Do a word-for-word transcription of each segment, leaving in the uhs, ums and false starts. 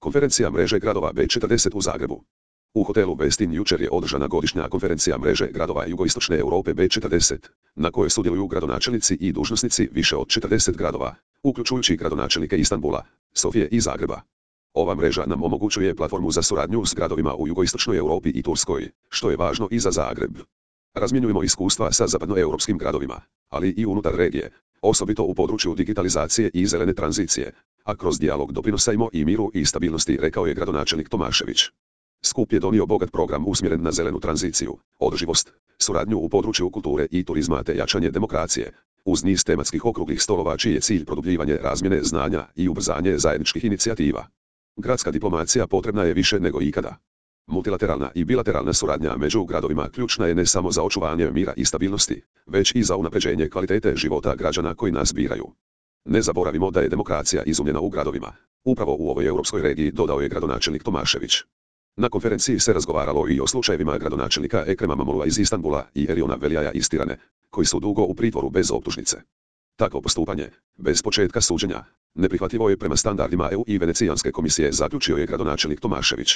Konferencija mreže gradova B četrdeset u Zagrebu. U hotelu Westin jučer je održana godišnja konferencija mreže gradova jugoistočne Europe B četrdeset, na kojoj sudjeluju gradonačelnici i dužnosnici više od četrdeset gradova, uključujući gradonačelnike Istanbula, Sofije i Zagreba. Ova mreža nam omogućuje platformu za suradnju s gradovima u jugoistočnoj Europi i Turskoj, što je važno i za Zagreb. Razmjenjujemo iskustva sa zapadnoeuropskim gradovima, ali i unutar regije, osobito u području digitalizacije i zelene tranzicije, a kroz dijalog doprinosimo i miru i stabilnosti, rekao je gradonačelnik Tomašević. Skup je donio bogat program usmjeren na zelenu tranziciju, održivost, suradnju u području kulture i turizma te jačanje demokracije, uz niz tematskih okruglih stolova čiji je cilj produbljivanje razmjene znanja i ubrzanje zajedničkih inicijativa. Gradska diplomacija potrebna je više nego ikada. Multilateralna i bilateralna suradnja među gradovima ključna je ne samo za očuvanje mira i stabilnosti, već i za unapređenje kvalitete života građana koji nas biraju. Ne zaboravimo da je demokracija izumljena u gradovima, upravo u ovoj europskoj regiji, dodao je gradonačelnik Tomašević. Na konferenciji se razgovaralo i o slučajevima gradonačelnika Ekrema Mamulova iz Istanbula i Eriona Veljaja iz Tirane, koji su dugo u pritvoru bez optužnice. Takvo postupanje, bez početka suđenja, neprihvatljivo je prema standardima E U i Venecijanske komisije, zaključio je gradonačelnik Tomašević.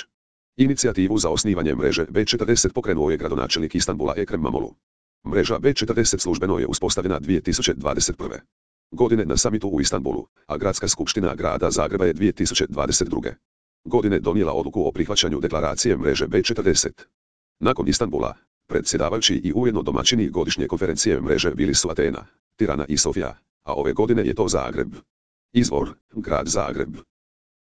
Inicijativu za osnivanje mreže B četrdeset pokrenuo je gradonačelnik Istanbula Ekrem Mamulu. Mreža B četrdeset službeno je uspostavljena dvije tisuće dvadeset prve. godine na samitu u Istanbulu, a Gradska skupština grada Zagreba je dvije tisuće dvadeset druge. godine donijela odluku o prihvaćanju deklaracije mreže B četrdeset. Nakon Istanbula, predsjedavajući i ujedno domaćini godišnje konferencije mreže bili su Atena, Tirana i Sofija, a ove godine je to Zagreb. Izvor: Grad Zagreb.